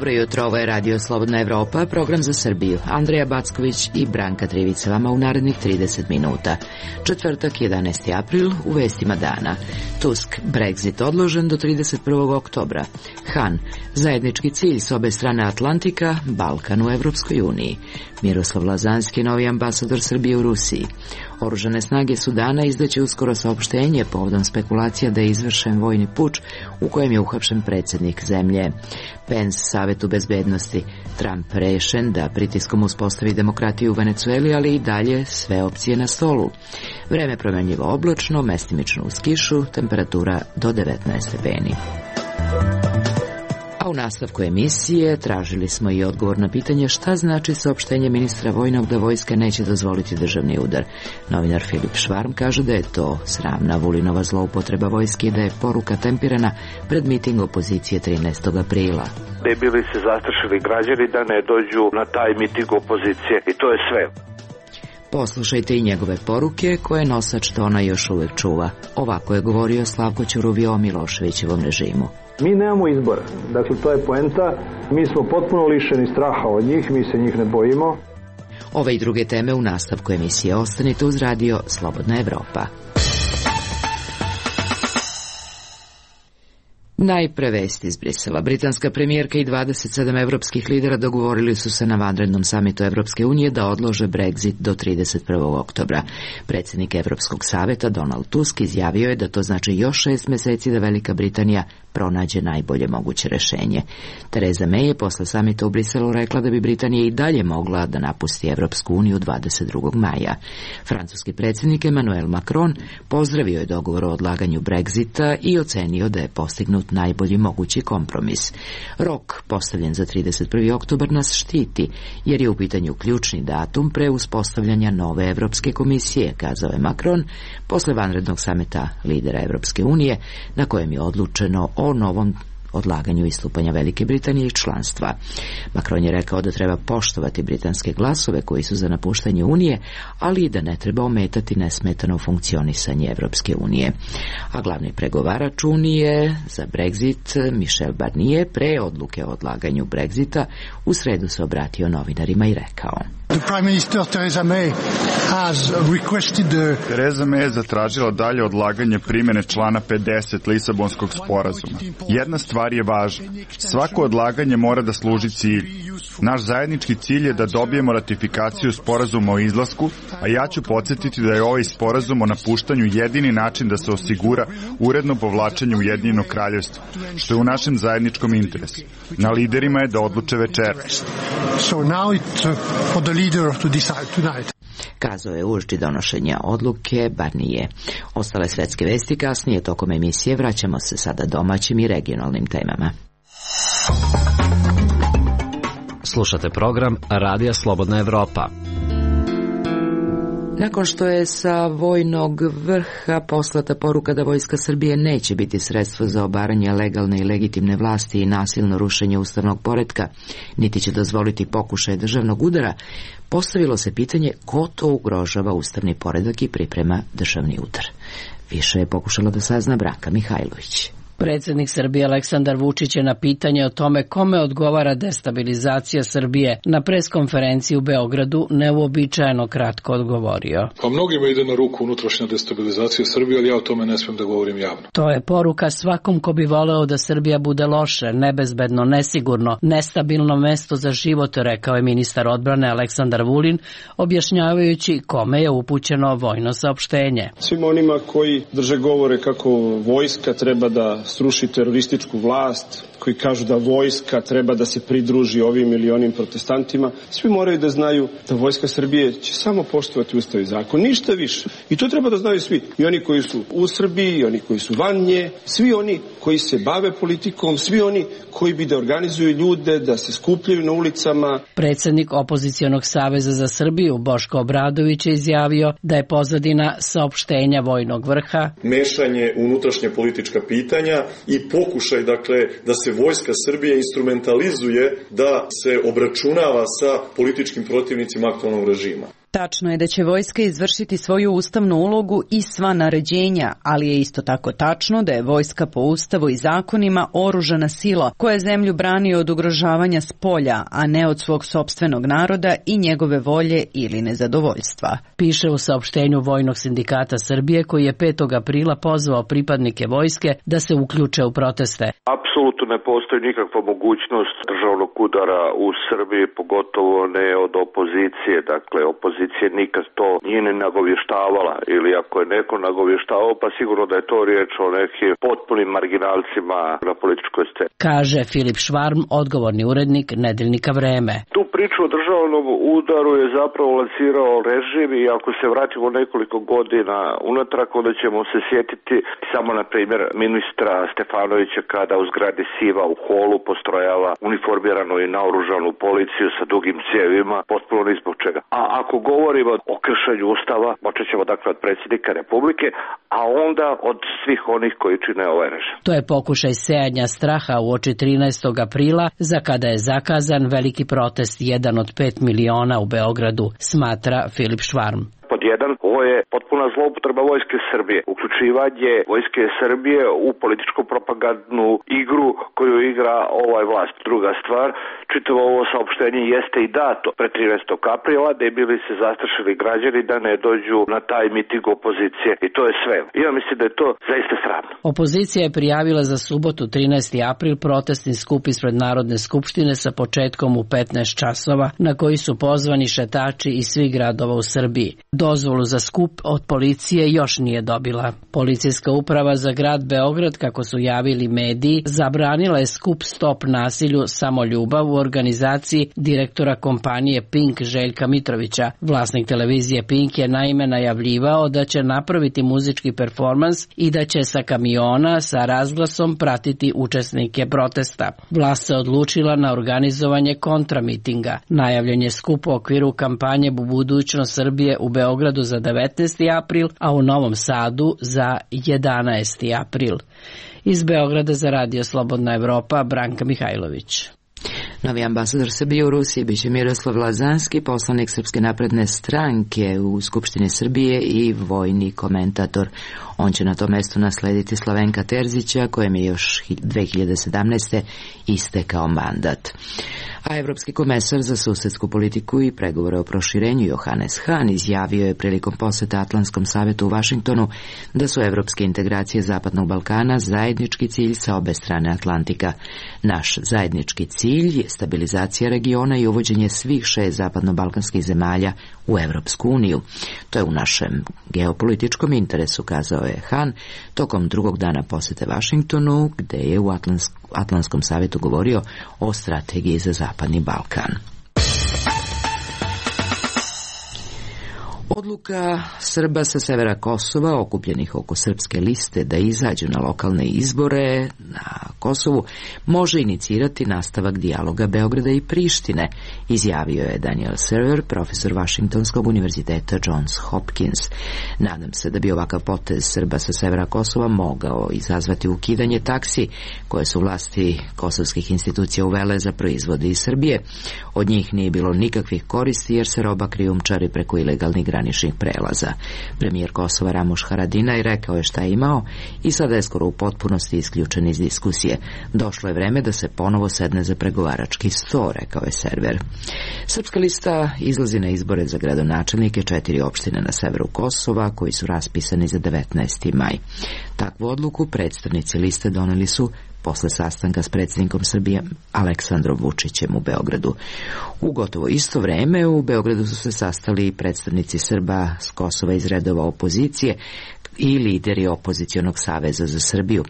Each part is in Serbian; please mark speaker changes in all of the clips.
Speaker 1: Dobro jutro, ovo je Radio Slobodna Evropa, program za Srbiju. Andreja Backović i Branka Trivica vama u narednih 30 minuta. Četvrtak, 11. april, u vestima dana. Tusk, Brexit odložen do 31. oktobra. Han, zajednički cilj s obe strane Atlantika, Balkan u Evropskoj uniji. Miroslav Lazanski, novi ambasador Srbije u Rusiji. Oružane snage Sudana izdaće uskoro saopštenje povodom spekulacija da je izvršen vojni puč u kojem je uhapšen predsjednik zemlje. Pence, Savetu bezbednosti. Trump rešen da pritiskom uspostavi demokratiju u Venecueli, ali i dalje sve opcije na stolu. Vreme promenljivo oblačno, mestimično uz kišu, temperatura do 19 stepeni. A u nastavku emisije tražili smo i odgovor na pitanje šta znači saopštenje ministra vojnog da vojska neće dozvoliti državni udar. Novinar Filip Švarm kaže da je to sramna Vulinova zloupotreba vojske i da je poruka tempirana pred miting opozicije 13. aprila.
Speaker 2: Ne bili se zastrašili građani da ne dođu na taj miting opozicije i to je sve.
Speaker 1: Poslušajte i njegove poruke koje nosač tona još uvek čuva. Ovako je govorio Slavko Ćuruvio o Miloševićevom režimu.
Speaker 3: Mi nemamo izbora, dakle to je poenta, mi smo potpuno lišeni straha od njih, mi se njih ne bojimo.
Speaker 1: Ove i druge teme u nastavku emisije. Ostanite uz Radio Slobodna Evropa. Najpre vesti iz Brisela. Britanska premijerka i 27 evropskih lidera dogovorili su se na vanrednom samitu Evropske unije da odlože Brexit do 31. oktobra. Predsjednik Evropskog saveta Donald Tusk izjavio je da to znači još 6 meseci da Velika Britanija pronađe najbolje moguće rešenje. Theresa May je posle samita u Briselu rekla da bi Britanija i dalje mogla da napusti Evropsku uniju 22. maja. Francuski predsjednik Emmanuel Macron pozdravio je dogovor o odlaganju Brexita i ocenio da je postignut najbolji mogući kompromis. Rok postavljen za 31. oktobar nas štiti, jer je u pitanju ključni datum pre uspostavljanja nove Evropske komisije, kazao je Macron posle vanrednog samita lidera Evropske unije, na kojem je odlučeno o novom odlaganju istupanja Velike Britanije i članstva. Macron je rekao da treba poštovati britanske glasove koji su za napuštanje Unije, ali i da ne treba ometati nesmetano funkcionisanje Evropske unije. A glavni pregovarač Unije za Brexit, Michel Barnier, pre odluke o odlaganju Brexita, u sredu se obratio novinarima i rekao:
Speaker 4: Theresa May je zatražila dalje odlaganje primjene člana 50 Lisabonskog sporazuma. Jedna stvar je važna. Svako odlaganje mora da služi cilju. Naš zajednički cilj je da dobijemo ratifikaciju sporazuma o izlasku, a ja ću podsjetiti da je ovaj sporazum o napuštanju jedini način da se osigura uredno povlačenje Ujedinjenog kraljevstva, što je u našem zajedničkom interesu. Na liderima je da odluče večeras.
Speaker 1: Kazao je uoči donošenja odluke Barnier. Ostale svetske vesti kasnije tokom emisije. Vraćamo se sada domaćim i regionalnim temama.
Speaker 5: Slušate program Radija Slobodna Evropa.
Speaker 1: Nakon što je sa vojnog vrha poslata poruka da vojska Srbije neće biti sredstvo za obaranje legalne i legitimne vlasti i nasilno rušenje ustavnog poretka, niti će dozvoliti pokušaj državnog udara, postavilo se pitanje ko to ugrožava ustavni poredak i priprema državni udar. Više je pokušala da sazna Branka Mihajlović.
Speaker 6: Predsjednik Srbije Aleksandar Vučić je na pitanje o tome kome odgovara destabilizacija Srbije na preskonferenciji u Beogradu neuobičajeno kratko odgovorio.
Speaker 7: Pa mnogima ide na ruku unutrašnja destabilizacija Srbije, ali ja o tome ne smijem da govorim javno.
Speaker 6: To je poruka svakom ko bi voleo da Srbija bude loše, nebezbedno, nesigurno, nestabilno mesto za život, rekao je ministar odbrane Aleksandar Vulin, objašnjavajući kome je upućeno vojno saopštenje.
Speaker 8: Svim onima koji drže govore kako vojska treba da sruši terorističku vlast, koji kažu da vojska treba da se pridruži ovim ili onim protestantima, svi moraju da znaju da vojska Srbije će samo poštovati ustav i zakon, ništa više. I to treba da znaju svi. I oni koji su u Srbiji, i oni koji su van nje, svi oni koji se bave politikom, svi oni koji bi da organizuju ljude, da se skupljaju na ulicama.
Speaker 6: Predsjednik Opozicionog saveza za Srbiju, Boško Obradović, je izjavio da je pozadina saopštenja vojnog vrha
Speaker 9: mešanje u unutrašnje politička pitanja i pokušaj, dakle, da se vojska Srbije instrumentalizuje da se obračunava sa političkim protivnicima aktualnog režima.
Speaker 10: Tačno je da će vojska izvršiti svoju ustavnu ulogu i sva naređenja, ali je isto tako tačno da je vojska po ustavu i zakonima oružana sila koja zemlju brani od ugrožavanja s polja, a ne od svog sopstvenog naroda i njegove volje ili nezadovoljstva.
Speaker 6: Piše u saopštenju Vojnog sindikata Srbije koji je 5. aprila pozvao pripadnike vojske da se uključe u proteste.
Speaker 2: Apsolutno ne postoji nikakva mogućnost državnog udara u Srbiji, pogotovo ne od opozicije. Dakle, opozicija nikad to nije ni nagovještavala, ili ako je neko nagovještavao, pa sigurno da je to riječ o nekim potpunim marginalcima na političkoj sceni.
Speaker 6: Kaže Filip Švarm, odgovorni urednik Nedeljnika Vreme.
Speaker 2: Tu priču o državnom udaru je zapravo lansirao režim i ako se vratimo nekoliko godina unatrag, onda ćemo se sjetiti samo na primjer ministra Stefanovića kada u zgradi Siva u holu postrojava uniformiranu i naoružanu policiju sa dugim cijevima, potpuno ni zbog čega. A ako govorimo o kršenju ustava, počet ćemo dakle od predsjednika Republike, a onda od svih onih koji čine ovaj režim.
Speaker 6: To je pokušaj sejanja straha uoči 13. aprila, za kada je zakazan veliki protest, jedan od 5 miliona u Beogradu, smatra Filip Švarm.
Speaker 2: Pod jedan, ovo je potpuna zloupotreba Vojske Srbije. Uključivanje Vojske Srbije u političku propagandnu igru koju igra ovaj vlast. Druga stvar, čitavo ovo saopštenje jeste i dato pre 13. aprila da je bili se zastrašili građani da ne dođu na taj miting opozicije. I to je sve. Ja mislim da je to zaista sramno.
Speaker 6: Opozicija je prijavila za subotu 13. april protestni skup ispred Narodne skupštine sa početkom u 15 časova na koji su pozvani šetači iz svih gradova u Srbiji. Dozvolu za skup od policije još nije dobila. Policijska uprava za grad Beograd, kako su javili mediji, zabranila je skup Stop nasilju samo ljubav u organizaciji direktora kompanije Pink Željka Mitrovića. Vlasnik televizije Pink je naime najavljivao da će napraviti muzički performans i da će sa kamiona sa razglasom pratiti učesnike protesta. Vlast se odlučila na organizovanje kontramitinga. Najavljen je skup u okviru kampanje Budućnost Srbije u Beogradu za 19. april, a u Novom Sadu za 11. april. Iz Beograda za Radio Slobodna Evropa, Branka Mihajlović.
Speaker 1: Novi ambasador Srbije u Rusiji biće Miroslav Lazanski, poslanik Srpske napredne stranke u Skupštini Srbije i vojni komentator. On će na to mesto naslediti Slavenka Terzića, kojem je još 2017. istekao mandat. A evropski komesar za susedsku politiku i pregovore o proširenju Johannes Hahn izjavio je prilikom poseta Atlantskom savetu u Vašingtonu da su evropske integracije Zapadnog Balkana zajednički cilj sa obe strane Atlantika. Naš zajednički cilj je stabilizacija regiona i uvođenje svih 6 zapadno-balkanskih zemalja u Evropsku uniju. To je u našem geopolitičkom interesu, kazao je Hahn tokom drugog dana posete Vašingtonu, gde je u Atlantskom savetu govorio o strategiji za Zapadni Balkan. Odluka Srba sa severa Kosova, okupljenih oko srpske liste da izađu na lokalne izbore na Kosovu, može inicirati nastavak dijaloga Beograda i Prištine, izjavio je Daniel Server, profesor Vašingtonskog univerziteta Johns Hopkins. Nadam se da bi ovakav potez Srba sa severa Kosova mogao izazvati ukidanje taksi koje su vlasti kosovskih institucija uvele za proizvode iz Srbije. Od njih nije bilo nikakvih koristi jer se roba krijumčari preko ilegalnih graničnih prelaza. Premijer Kosova Ramuš Haradinaj rekao je šta je imao i sada je skoro u potpunosti isključen iz diskusije. Došlo je vreme da se ponovo sedne za pregovarački sto, rekao je Server. Srpska lista izlazi na izbore za gradonačelnike 4 opštine na severu Kosova koji su raspisani za 19. maj. Takvu odluku predstavnici liste doneli su posle sastanka s predsjednikom Srbije Aleksandrom Vučićem u Beogradu. U gotovo isto vreme u Beogradu su se sastali predstavnici Srba s Kosova iz redova opozicije i lideri opozicionog saveza za Srbiju.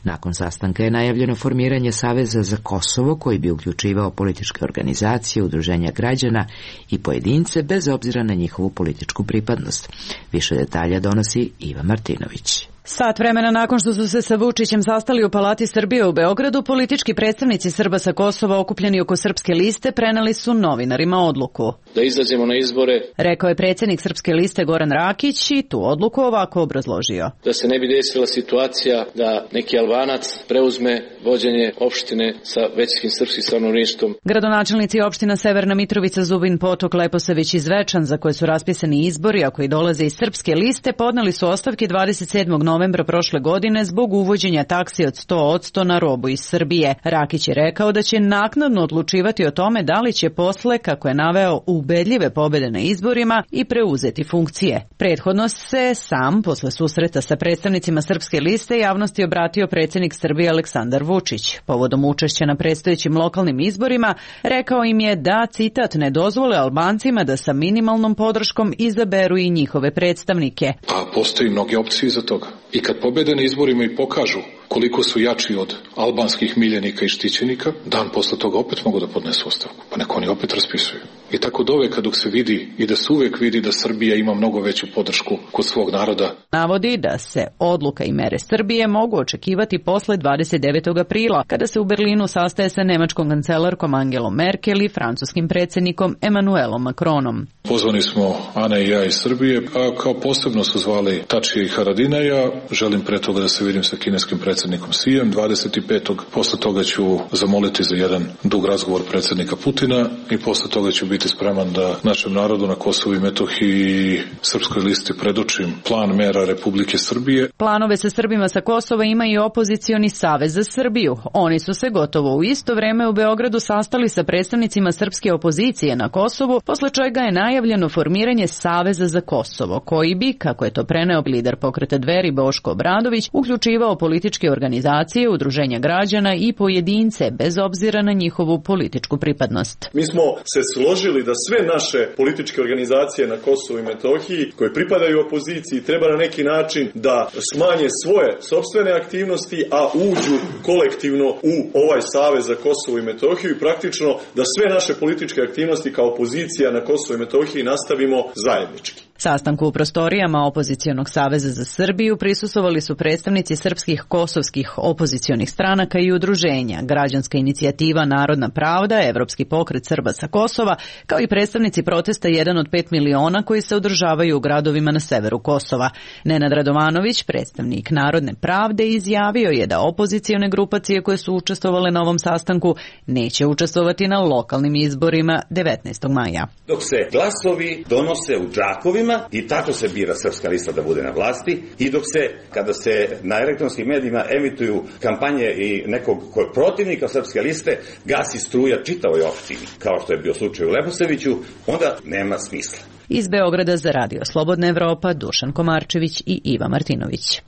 Speaker 1: Nakon sastanka je najavljeno formiranje Saveza za Kosovo koji bi uključivao političke organizacije, udruženja građana i pojedince bez obzira na njihovu političku pripadnost. Više detalja donosi Iva Martinović.
Speaker 10: Sat vremena nakon što su se sa Vučićem sastali u Palati Srbije u Beogradu, politički predstavnici Srba sa Kosova okupljeni oko Srpske liste preneli su novinarima odluku.
Speaker 11: Da izađemo na izbore,
Speaker 10: rekao je predsjednik Srpske liste Goran Rakić i tu odluku ovako obrazložio.
Speaker 11: Da se ne bi desila situacija da neki Albanac preuzme vođenje opštine sa većinskim srpskim stanovništvom.
Speaker 10: Gradonačelnici opština Severna Mitrovica, Zubin Potok, Leposavić i Zvečan, za koje su raspisani izbori, a koji dolaze iz Srpske liste, podneli su ostavke 27. novembra prošle godine zbog uvođenja taksi od 100% na robu iz Srbije. Rakić je rekao da će naknadno odlučivati o tome da li će posle, kako je naveo, ubedljive pobjede na izborima i preuzeti funkcije. Prethodno se sam, posle susreta sa predstavnicima Srpske liste, javnosti obratio predsjednik Srbije Aleksandar Vučić. Povodom učešća na predstojećim lokalnim izborima, rekao im je da, citat, ne dozvole Albancima da sa minimalnom podrškom izaberu i njihove predstavnike.
Speaker 7: A postoji mnoge opcije za toga. I kad pobede na izborima i pokažu koliko su jači od albanskih miljenika i štićenika, dan posle toga opet mogu da podnesu ostavku. Pa neko oni opet raspisuju. I tako doveka dok se vidi i da se uvek vidi da Srbija ima mnogo veću podršku kod svog naroda.
Speaker 10: Navodi da se odluka i mere Srbije mogu očekivati posle 29. aprila, kada se u Berlinu sastaje sa nemačkom kancelarkom Angelom Merkel i francuskim predsjednikom Emmanuelom Macronom.
Speaker 7: Pozvani smo Ana i ja iz Srbije, a kao posebno su zvali Tačija i Haradinaja. Želim pre toga da se vidim sa kineskim predsjednikom Sijem 25. Posle toga ću zamoliti za jedan dug razgovor predsjednika Putina i posle toga ću biti spreman da našem narodu na Kosovu i Metohiji i Srpskoj listi predočim plan mera Republike Srbije.
Speaker 10: Planove sa Srbima sa Kosova ima i opozicioni Savez za Srbiju. Oni su se gotovo u isto vreme u Beogradu sastali sa predstavnicima srpske opozicije na Kosovu, posle čega je najavljeno formiranje Saveza za Kosovo, koji bi, kako je to preneo lider pokreta Dveri Boško Obradović, uključivao političke organizacije, udruženja građana i pojedince, bez obzira na njihovu političku pripadnost.
Speaker 9: Mi smo se složili da sve naše političke organizacije na Kosovu i Metohiji, koje pripadaju opoziciji, treba na neki način da smanje svoje sopstvene aktivnosti, a uđu kolektivno u ovaj Savez za Kosovo i Metohiju i praktično da sve naše političke aktivnosti kao opozicija na Kosovu i Metohiji nastavimo zajednički.
Speaker 10: Sastanku u prostorijama Opozicionog saveza za Srbiju prisustvovali su predstavnici srpskih kosovskih opozicionih stranaka i udruženja, Građanska inicijativa Narodna pravda, Evropski pokret Srba sa Kosova, kao i predstavnici protesta 1 od 5 miliona koji se održavaju u gradovima na severu Kosova. Nenad Radovanović, predstavnik Narodne pravde, izjavio je da opozicione grupacije koje su učestvovale na ovom sastanku neće učestvovati na lokalnim izborima 19. maja.
Speaker 12: Dok se glasovi donose u džakovima i tako se bira Srpska lista da bude na vlasti i dok se, kada se na elektronskim medijima emituju kampanje i nekog koji je protivnika Srpske liste, gasi struja čitavoj opštini, kao što je bio slučaj u Leposaviću, onda nema smisla.
Speaker 10: Iz Beograda za Radio Slobodna Evropa, Dušan Komarčević i Iva Martinović.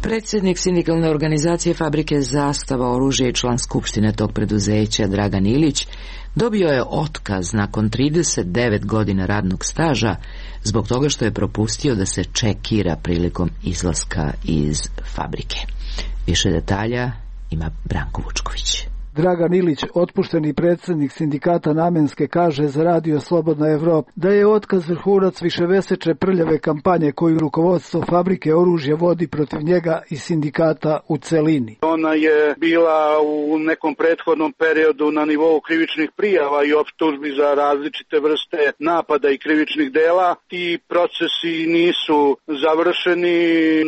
Speaker 1: Predsjednik sindikalne organizacije Fabrike Zastava oružje i član skupštine tog preduzeća Dragan Ilić dobio je otkaz nakon 39 godina radnog staža zbog toga što je propustio da se čekira prilikom izlaska iz fabrike. Više detalja ima Branko Vučković.
Speaker 13: Dragan Ilić, otpušteni predsjednik sindikata Namenske, kaže za Radio Slobodna Evropa da je otkaz vrhunac višemesečne prljave kampanje koju rukovodstvo Fabrike oružja vodi protiv njega i sindikata u celini.
Speaker 14: Ona je bila u nekom prethodnom periodu na nivou krivičnih prijava i optužbi za različite vrste napada i krivičnih dela. Ti procesi nisu završeni.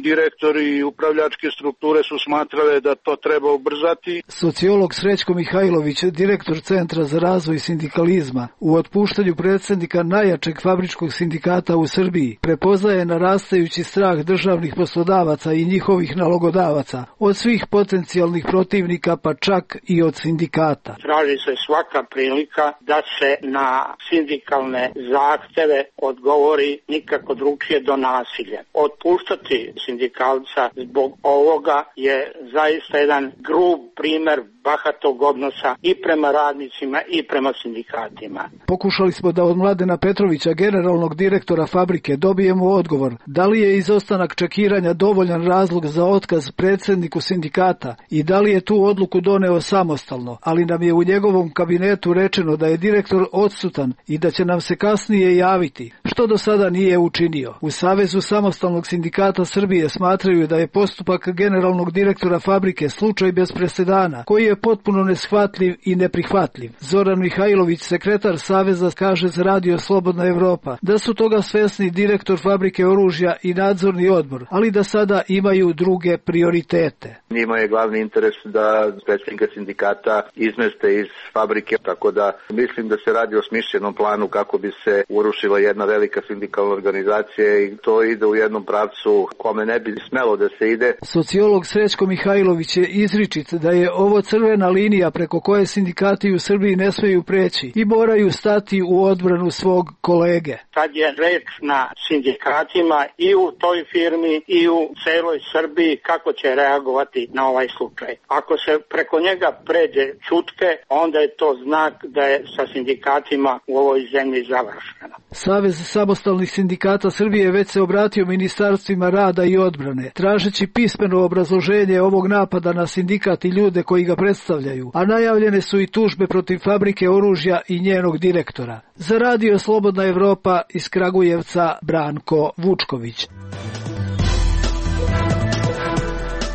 Speaker 14: Direktori i upravljačke strukture su smatrale da to treba ubrzati.
Speaker 13: Sociolog Srećko Mihajlović, direktor Centra za razvoj sindikalizma, u otpuštanju predsjednika najjačeg fabričkog sindikata u Srbiji prepoznaje narastajući strah državnih poslodavaca i njihovih nalogodavaca od svih potencijalnih protivnika, pa čak i od sindikata.
Speaker 15: Traži se svaka prilika da se na sindikalne zahteve odgovori nikako drugčije do nasilja. Otpuštati sindikalca zbog ovoga je zaista jedan grub primer bahatog odnosa i prema radnicima i prema sindikatima.
Speaker 13: Pokušali smo da od Mladena Petrovića, generalnog direktora fabrike, dobijemo odgovor da li je izostanak čekiranja dovoljan razlog za otkaz predsjedniku sindikata i da li je tu odluku doneo samostalno, ali nam je u njegovom kabinetu rečeno da je direktor odsutan i da će nam se kasnije javiti, što do sada nije učinio. U Savezu samostalnog sindikata Srbije smatraju da je postupak generalnog direktora fabrike slučaj bez presedana, koji je potpuno neshvatljiv i neprihvatljiv. Zoran Mihajlović, sekretar Saveza, kaže za Radio Slobodna Evropa da su toga svesni direktor fabrike oružja i nadzorni odbor, ali da sada imaju druge prioritete.
Speaker 14: Njima je glavni interes da predsjednika sindikata izmeste iz fabrike, tako da mislim da se radi o smišljenom planu kako bi se urušila jedna velika sindikalna organizacija i to ide u jednom pravcu kome ne bi smelo da se ide.
Speaker 13: Sociolog Srećko Mihajlović je izričit da je ovo crvena linija preko koje sindikati u Srbiji ne smeju preći i moraju stati u odbranu svog kolege.
Speaker 15: Sad je reč na sindikatima i u toj firmi i u celoj Srbiji kako će reagovati na ovaj slučaj. Ako se preko njega pređe ćutke, onda je to znak da je sa sindikatima u ovoj zemlji završeno.
Speaker 13: Savez samostalnih sindikata Srbije već se obratio ministarstvima rada i odbrane, tražeći pismeno obrazloženje ovog napada na sindikat i ljude koji ga predstavljaju, a najavljene su i tužbe protiv fabrike oružja i njenog direktora. Za Radio Slobodna Evropa iz Kragujevca, Branko Vučković.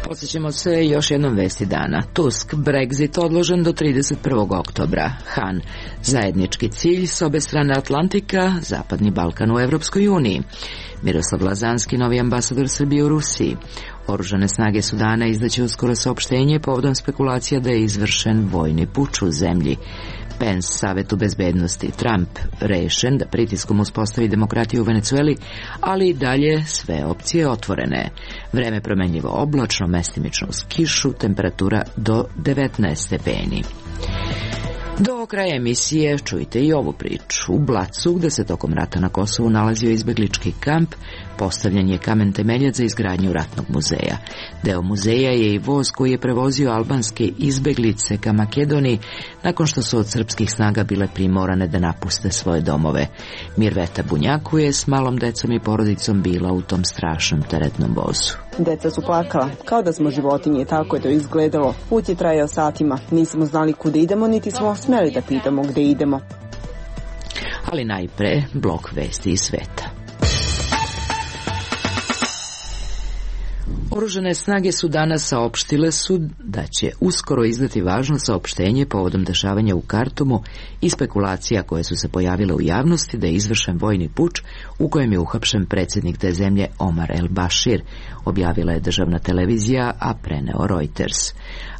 Speaker 1: Podsjećamo se još jednom vesti dana. Tusk, Brexit odložen do 31. oktobra. Han, zajednički cilj s obe strane Atlantika, Zapadni Balkan u Evropskoj uniji. Miroslav Lazanski, novi ambasador Srbije u Rusiji. Oružane snage Sudana izdaće uskoro saopštenje povodom spekulacija da je izvršen vojni puč u zemlji. Pence, Savetu bezbednosti. Trump, rešen da pritiskom uspostavi demokratiju u Venecueli, ali i dalje sve opcije otvorene. Vreme promenljivo oblačno, mestimično uz kišu, temperatura do 19 stepeni. Do kraja emisije čujte i ovu priču. U Blacu, gde se tokom rata na Kosovu nalazio izbeglički kamp, postavljen je kamen temeljac za izgradnju ratnog muzeja. Deo muzeja je i voz koji je prevozio albanske izbeglice ka Makedoniji nakon što su od srpskih snaga bile primorane da napuste svoje domove. Mirveta Bunjaku je s malom decom i porodicom bila u tom strašnom teretnom vozu.
Speaker 16: Deca su plakala, kao da smo životinje, tako je to izgledalo. Put je trajao satima, nismo znali kuda idemo, niti smo smeli da pitamo gde idemo.
Speaker 1: Ali najpre blok vesti iz sveta. Oružane snage Sudana saopštile su da će uskoro izdati važno saopštenje povodom dešavanja u Kartumu i spekulacija koje su se pojavile u javnosti da je izvršen vojni puč u kojem je uhapšen predsjednik te zemlje Omar el-Bashir, objavila je državna televizija, a preneo Reuters.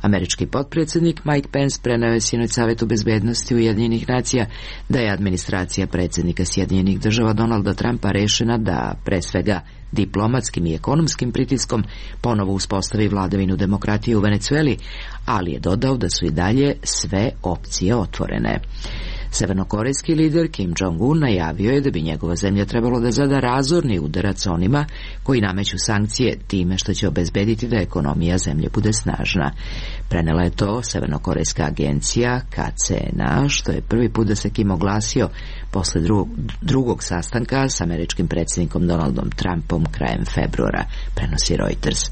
Speaker 1: Američki potpredsjednik Mike Pence preneo je sinoć Savetu bezbednosti Ujedinjenih nacija da je administracija predsjednika Sjedinjenih država Donalda Trumpa rešena da, pre svega diplomatskim i ekonomskim pritiskom, ponovo uspostavi vladavinu demokratije u Venecueli, ali je dodao da su i dalje sve opcije otvorene. Severnokorejski lider Kim Jong-un najavio je da bi njegova zemlja trebalo da zada razorni udarac onima koji nameću sankcije time što će obezbediti da ekonomija zemlje bude snažna. Prenela je to severnokorejska agencija KCNA, što je prvi put da se Kim oglasio posle drugog sastanka s američkim predsjednikom Donaldom Trumpom krajem februara, prenosi Reuters.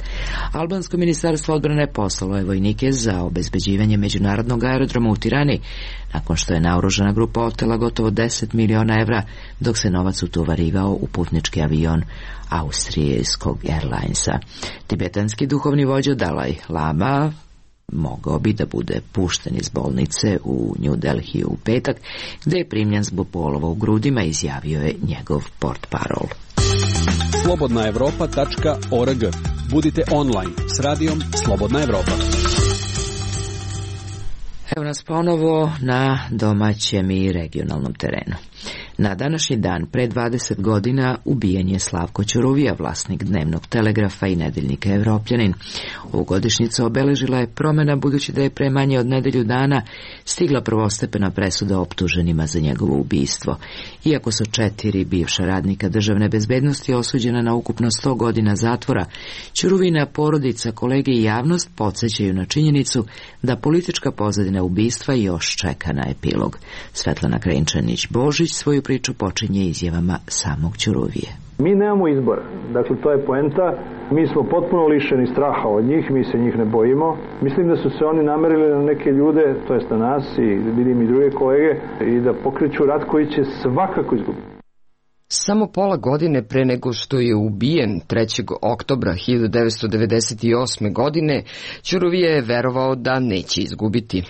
Speaker 1: Albansko ministarstvo odbrane poslalo je vojnike za obezbeđivanje međunarodnog aerodroma u Tirani, nakon što je naoružana grupa otela gotovo 10 miliona evra, dok se novac utovarivao u putnički avion austrijskog Airlinesa. Tibetanski duhovni vođa Dalaj Lama mogao bi da bude pušten iz bolnice u New Delhi u petak, gde je primljen zbog bolova u grudima, izjavio je njegov portparol.
Speaker 17: slobodnaevropa.org. Budite online s radijom Slobodna Evropa.
Speaker 1: Evo nas ponovo na domaćem i regionalnom terenu. Na današnji dan, pre 20 godina, ubijen je Slavko Ćuruvija, vlasnik Dnevnog telegrafa i nedeljnika Evropljanin. Ovu godišnjicu obeležila je promjena, budući da je pre manje od nedelju dana stigla prvostepena presuda optuženima za njegovo ubistvo. Iako su 4 bivša radnika državne bezbednosti osuđena na ukupno 100 godina zatvora, Ćuruvina porodica, kolege i javnost podsjećaju na činjenicu da politička pozadina ubistva još čeka na epilog. Svetlana Krenčanić-Božić svoju priču počinje izjavama samog Ćuruvije.
Speaker 3: Mi nemamo izbora, dakle to je poenta, mi smo potpuno lišeni straha od njih, mi se njih ne bojimo. Mislim da su se oni namerili na neke ljude, to jest na nas i vidim i druge kolege, i da pokreću rat koji će svakako izgubiti.
Speaker 18: Samo pola godine pre nego što je ubijen 3. oktobra 1998. godine, Ćuruvija je verovao da neće izgubiti.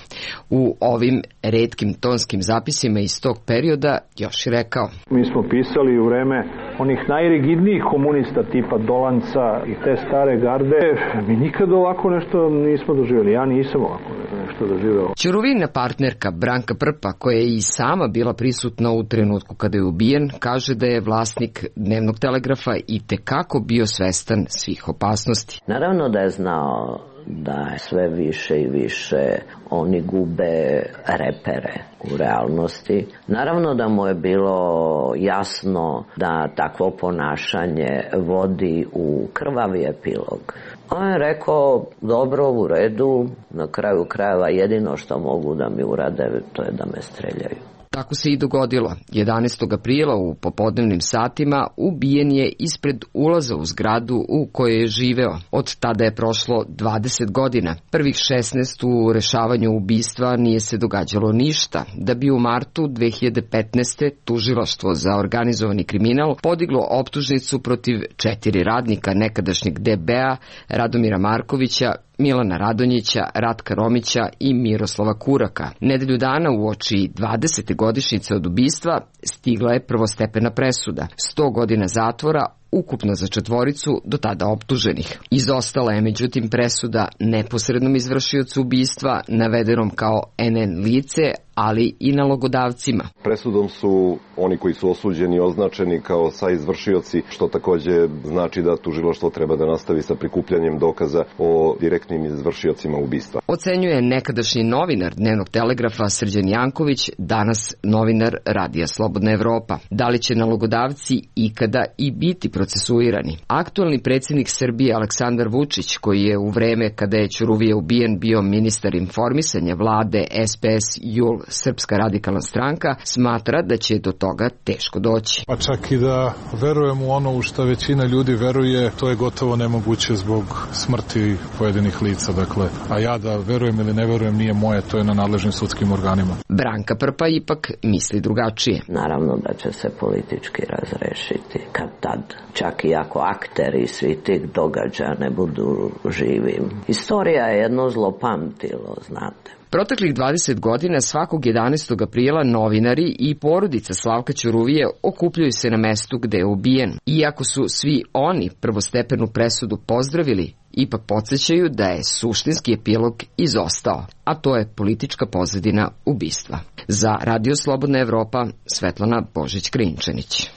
Speaker 18: U ovim retkim tonskim zapisima iz tog perioda još je rekao:
Speaker 3: Mi smo pisali u vreme onih najrigidnijih komunista tipa Dolanca i te stare garde. Mi nikad ovako nešto nismo doživjeli. Ja nisam ovako nešto doživjela.
Speaker 18: Ćuruvina partnerka Branka Prpa, koja je i sama bila prisutna u trenutku kada je ubijen, kaže da je vlasnik Dnevnog telegrafa i tekako bio svestan svih opasnosti.
Speaker 19: Naravno da je znao da sve više i više oni gube repere u realnosti. Naravno da mu je bilo jasno da takvo ponašanje vodi u krvavi epilog. On je rekao, dobro, u redu, na kraju krajeva jedino što mogu da mi urade, to je da me streljaju.
Speaker 18: Tako se i dogodilo. 11. aprila u popodnevnim satima ubijen je ispred ulaza u zgradu u kojoj je živeo. Od tada je prošlo 20 godina. Prvih 16 u rešavanju ubistva nije se događalo ništa, da bi u martu 2015. tužilaštvo za organizovani kriminal podiglo optužnicu protiv 4 radnika nekadašnjeg DB-a, Radomira Markovića, Milana Radonjića, Ratka Romića i Miroslava Kuraka. Nedelju dana uoči 20. godišnjice od ubistva stigla je prvostepena presuda. 100 godina zatvora, ukupno za 4 do tada optuženih. Izostala je međutim presuda neposrednom izvršiocu ubistva, navedenom kao NN lice, ali i nalogodavcima.
Speaker 20: Presudom su oni koji su osuđeni označeni kao saizvršioci, što takođe znači da tužilaštvo treba da nastavi sa prikupljanjem dokaza o direktnim izvršiocima ubistva.
Speaker 18: Ocenjuje nekadašnji novinar Dnevnog telegrafa Srđan Janković, danas novinar Radija Slobodna Evropa. Da li će nalogodavci ikada i biti procesuirani? Aktualni predsjednik Srbije Aleksandar Vučić, koji je u vreme kada je Ćuruvija ubijen bio ministar informisanja vlade SPS JUL Srpska radikalna stranka, smatra da će do toga teško doći.
Speaker 7: Pa čak i da verujem u ono u što većina ljudi veruje, to je gotovo nemoguće zbog smrti pojedinih lica. Dakle, a ja da verujem ili ne verujem nije moje, to je na nadležnim sudskim organima.
Speaker 18: Branka Prpa ipak misli drugačije.
Speaker 19: Naravno da će se politički razrešiti kad tad. Čak i ako akteri svi tih događaja ne budu živi. Istorija je jedno zlopamtilo, znate.
Speaker 18: Proteklih 20 godina svakog 11. aprila novinari i porodica Slavka Ćuruvije okupljaju se na mestu gde je ubijen. Iako su svi oni prvostepenu presudu pozdravili, ipak podsjećaju da je suštinski epilog izostao, a to je politička pozadina ubistva. Za Radio Slobodna Evropa, Svetlana Božić-Krinčanić.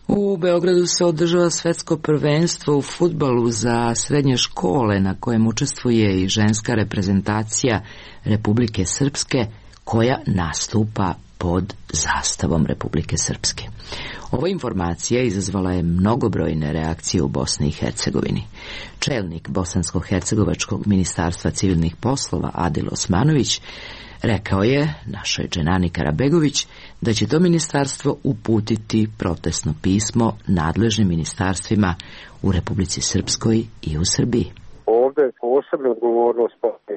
Speaker 1: U Beogradu se održava svetsko prvenstvo u fudbalu za srednje škole na kojem učestvuje i ženska reprezentacija Republike Srpske koja nastupa pod zastavom Republike Srpske. Ova informacija izazvala je mnogobrojne reakcije u Bosni i Hercegovini. Čelnik Bosansko-hercegovačkog ministarstva civilnih poslova Adil Osmanović rekao je našoj Dženani Karabegović da će to ministarstvo uputiti protestno pismo nadležnim ministarstvima u Republici Srpskoj i u Srbiji.
Speaker 21: Ovde posebna odgovornost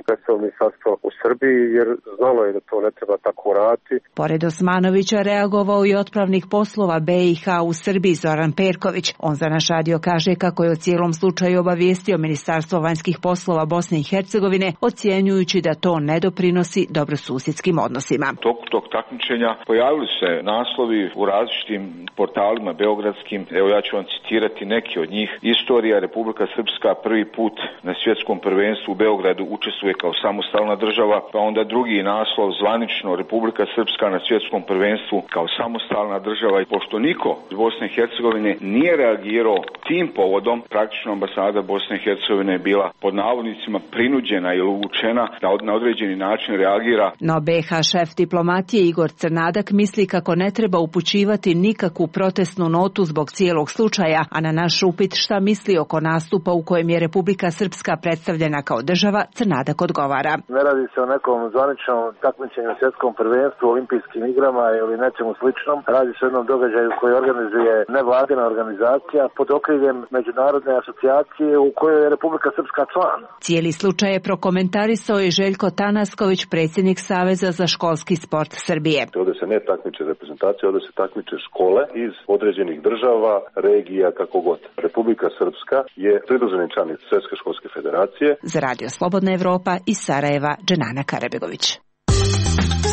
Speaker 21: predstavlja ministarstvo u Srbiji jer znalo je da to ne treba tako raditi.
Speaker 22: Pored Osmanovića reagovao i otpravnik poslova BiH u Srbiji Zoran Perković. On za naš radio kaže kako je o cijelom slučaju obavijestio Ministarstvo vanjskih poslova Bosne i Hercegovine, ocjenjujući da to ne doprinosi dobrosusjedskim odnosima.
Speaker 23: Toku tog takmičenja pojavili se naslovi u različitim portalima beogradskim. Evo ja ću vam citirati neki od njih. Istorija Republika Srpska prvi put na svjetskom prvenstvu u Beogradu učestvuje kao samostalna država, pa onda drugi naslov zvanično Republika Srpska na svjetskom prvenstvu kao samostalna država. I pošto niko iz Bosne i Hercegovine nije reagirao tim povodom, praktično ambasada Bosne i Hercegovine je bila pod navodnicima prinuđena ili uvučena da na određeni način reagira.
Speaker 22: No BiH šef diplomatije Igor Crnadak misli kako ne treba upućivati nikakvu protestnu notu zbog cijelog slučaja, a na naš upit šta misli oko nastupa u kojem je Republika Srpska predstavljena kao država, Crnadak odgovara.
Speaker 21: Ne radi se o nekom zvaničnom takmičenju u svjetskom prvenstvu, olimpijskim igrama ili nečemu sličnom. Radi se o jednom događaju koji organizuje nevladina organizacija pod okriljem međunarodne asocijacije u kojoj je Republika Srpska član.
Speaker 22: Cijeli slučaj je prokomentarisao i Željko Tanasković, predsjednik Saveza za školski sport Srbije.
Speaker 4: Ovdje se ne takmiče reprezentacija, ovdje se takmiče škole iz određenih država, regija, kako god. Republika Srpska je pridruženi članica Svjetske školske federacije.
Speaker 22: Za Radio Slobodna Evropa iz Sarajeva, Dženana Karabegović.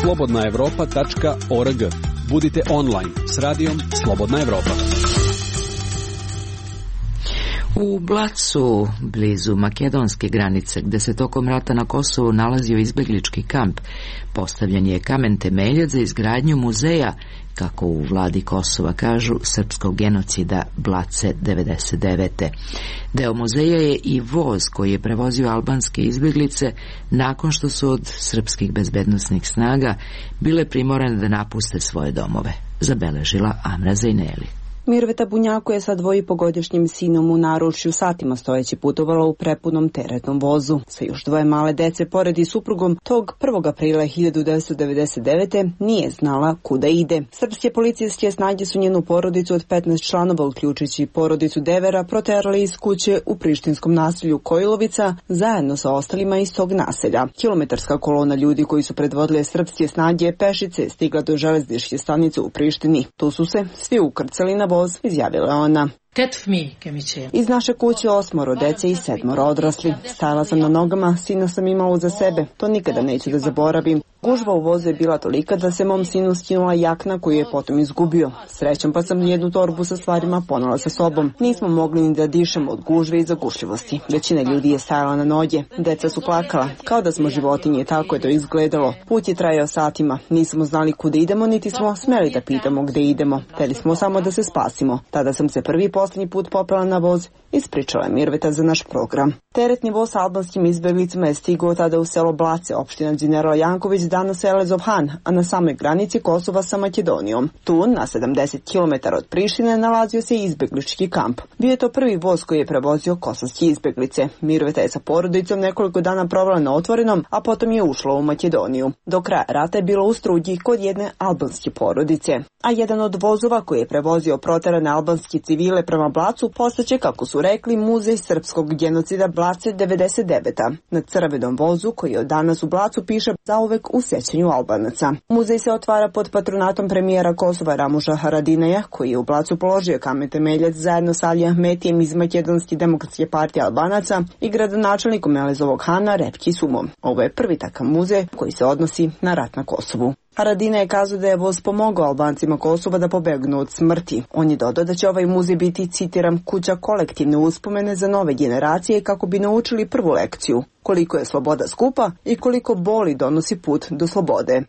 Speaker 17: slobodnaevropa.org. Budite online s radijom Slobodna Evropa.
Speaker 1: U Blacu, blizu makedonske granice, gde se tokom rata na Kosovu nalazio izbeglički kamp, postavljen je kamen temeljac za izgradnju muzeja, kako u vladi Kosova kažu, srpskog genocida Blace 99. Deo muzeja je i voz koji je prevozio albanske izbeglice nakon što su od srpskih bezbednosnih snaga bile primorane da napuste svoje domove, zabeležila Amra Zajneli.
Speaker 16: Mirveta Bunjaku je sa 2,5-godišnjim sinom u naručju satima stojeći putovala u prepunom teretnom vozu. Sa još 2 male dece pored i suprugom tog 1. aprila 1999. nije znala kuda ide. Srpske policijske snage su njenu porodicu od 15 članova, uključujući porodicu Devera, proterali iz kuće u prištinskom naselju Kojilovica zajedno sa ostalima iz tog naselja. Kilometarska kolona ljudi koji su predvodile srpske snage pešice stigla do železničke stanice u Prištini. Tu su se svi ukrcali na voz, izjavila ona. Iz naše kuće 8 dece i 7 odrasli. Stajala sam na nogama, sina sam imala uza sebe. To nikada neću da zaboravim. Gužva u vozu je bila tolika da se mom sinu skinula jakna koju je potom izgubio. Srećom pa sam jednu torbu sa stvarima ponela sa sobom. Nismo mogli ni da dišemo od gužve i zagušljivosti. Većina ljudi je stajala na noge. Deca su plakala. Kao da smo životinje, tako je to izgledalo. Put je trajao satima. Nismo znali kuda idemo, niti smo smeli da pitamo gde idemo. Hteli smo samo da se spasimo. Tada sam se prvi posljednji put popela na voz, ispričala je Mirveta za naš program. Teretni voz sa albanskim izbeglicama je stigao tada u selo Blace, opština General Janković, danas Elezov Han, a na samoj granici Kosova sa Makedonijom. Tu, na 70 km od Prištine, nalazio se izbeglički kamp. Bio je to prvi voz koji je prevozio kosovske izbeglice. Mirveta je sa porodicom nekoliko dana provela na otvorenom, a potom je ušla u Makedoniju. Do kraja rata je bilo u Strugi kod jedne albanske porodice. A jedan od vozova koji je prevozio proterane albanske civile prema Blacu postaće, kako su rekli, muzej srpskog genocida Blace 99. Na crvenom vozu koji od danas u Blacu piše zauvek u sećanju Albanaca. Muzej se otvara pod patronatom premijera Kosova Ramuša Haradinaja, koji je u Blacu položio kamen temeljac zajedno sa Ali Ahmetijem iz Makedonske demokratske partije Albanaca i gradonačelnikom Elezovog Hana Repki Sumom. Ovo je prvi takav muzej koji se odnosi na rat na Kosovu. Haradina je kazao da je voz pomogao Albancima Kosova da pobegnu od smrti. On je dodao da će ovaj muzej biti, citiram, kuća kolektivne uspomene za nove generacije kako bi naučili prvu lekciju. Koliko je sloboda skupa i koliko boli donosi put do slobode.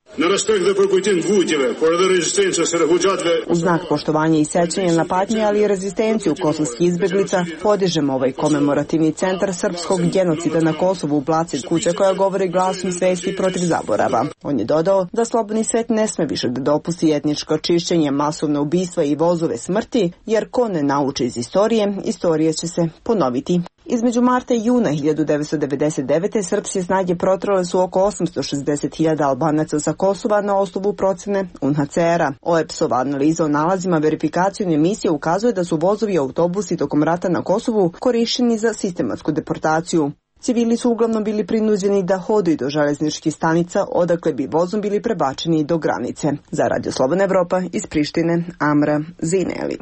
Speaker 16: U znak poštovanja i sećanja na patnje, ali i rezistenciju kosovskih izbeglica, podižemo ovaj komemorativni centar srpskog genocida na Kosovu u Blaci, kuća koja govori glasom svesti protiv zaborava. On je dodao da slobodni svet ne sme više da dopusti etničko čišćenje, masovne ubistva i vozove smrti, jer ko ne nauči iz istorije, istorija će se ponoviti. Između marta i juna 1999. srpske snage protrale su oko 860.000 Albanaca sa Kosova na osnovu procene UNHCR-a. OEPS-ova analiza o nalazima verifikacijone emisije ukazuje da su vozovi i autobusi tokom rata na Kosovu korišćeni za sistematsku deportaciju. Civili su uglavnom bili prinuđeni da hodaju do železničkih stanica, odakle bi vozom bili prebačeni do granice. Za Radio Slobodna Evropa iz Prištine, Amra Zineli.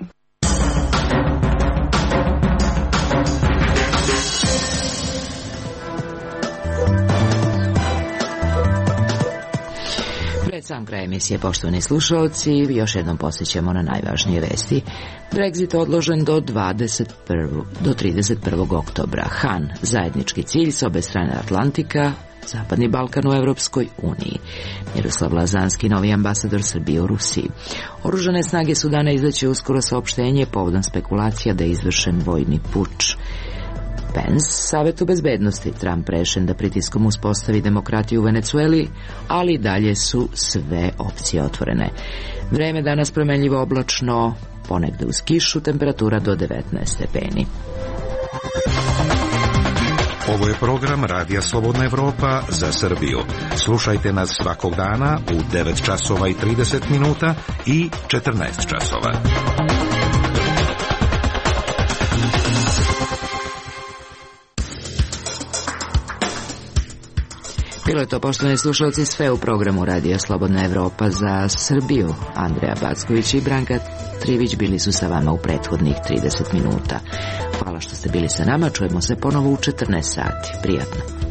Speaker 1: Pred sam kraj emisije, poštovani slušalci, još jednom posjećamo na najvažnije vesti. Brexit odložen do 31. oktobra. Han, zajednički cilj s obe strane Atlantika, Zapadni Balkan u Evropskoj uniji. Miroslav Lazanski, novi ambasador Srbije u Rusiji. Oružane snage Sudana izdaće uskoro saopštenje povodom spekulacija da je izvršen vojni puč. Pence, Savetu bezbednosti, Trump rešen da pritiskom uspostavi demokratiju u Venecueli, ali dalje su sve opcije otvorene. Vreme danas promenljivo oblačno, ponegde uz kišu, temperatura do 19 stepeni.
Speaker 2: Ovo je program Radija Slobodna Evropa za Srbiju. Slušajte nas svakog dana u 9 časova i 30 minuta i 14 časova.
Speaker 1: Bilo je to, poštovani slušalci, sve u programu Radija Slobodna Evropa za Srbiju. Andreja Backović i Branka Trivić bili su sa vama u prethodnih 30 minuta. Hvala što ste bili sa nama, čujemo se ponovo u 14 sati. Prijatno.